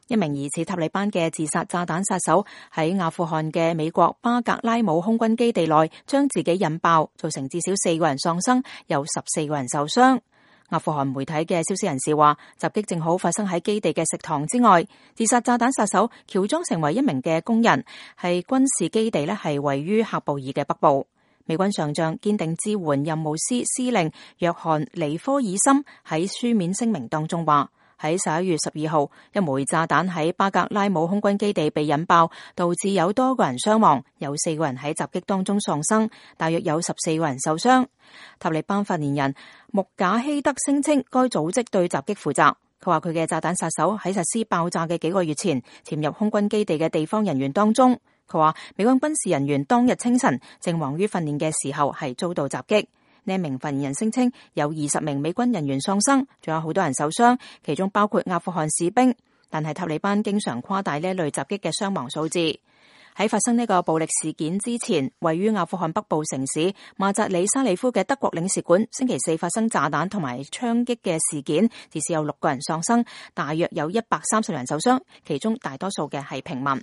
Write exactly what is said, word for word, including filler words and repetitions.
一名疑似塔利班嘅自殺炸彈殺手喺阿富汗嘅美國巴格拉姆空軍基地內將自己引爆，造成至少四個人喪生，有十四個人受傷。阿富汗媒體嘅消息人士話，襲擊正好發生喺基地嘅食堂之外。自殺炸彈殺手喬裝成為一名嘅工人，係軍事基地呢係位於喀布爾嘅北部。美軍上將堅定支援任務司司令約翰尼科爾森喺書面聲明當中話，喺十一月十二號，一枚炸彈喺巴格拉姆空軍基地被引爆，導致有多個人傷亡，有四個人喺襲擊當中喪生，大約有十四個人受傷。塔利班發言人穆賈希德聲稱，該組織對襲擊負責。佢話佢嘅炸彈殺手喺實施爆炸嘅幾個月前，潛入空軍基地嘅地方人員當中。佢話美軍軍事人員當日清晨正忙於訓練嘅時候係遭到襲擊。呢名發言人聲稱有二十名美軍人員喪生，仲有好多人受傷，其中包括阿富汗士兵。但係塔利班經常誇大呢類襲擊嘅傷亡數字。喺發生呢個暴力事件之前，位於阿富汗北部城市馬扎里沙里夫嘅德國領事館星期四發生炸彈同埋槍擊嘅事件，至少有六個人喪生，大約有一百三十人受傷，其中大多數嘅係平民。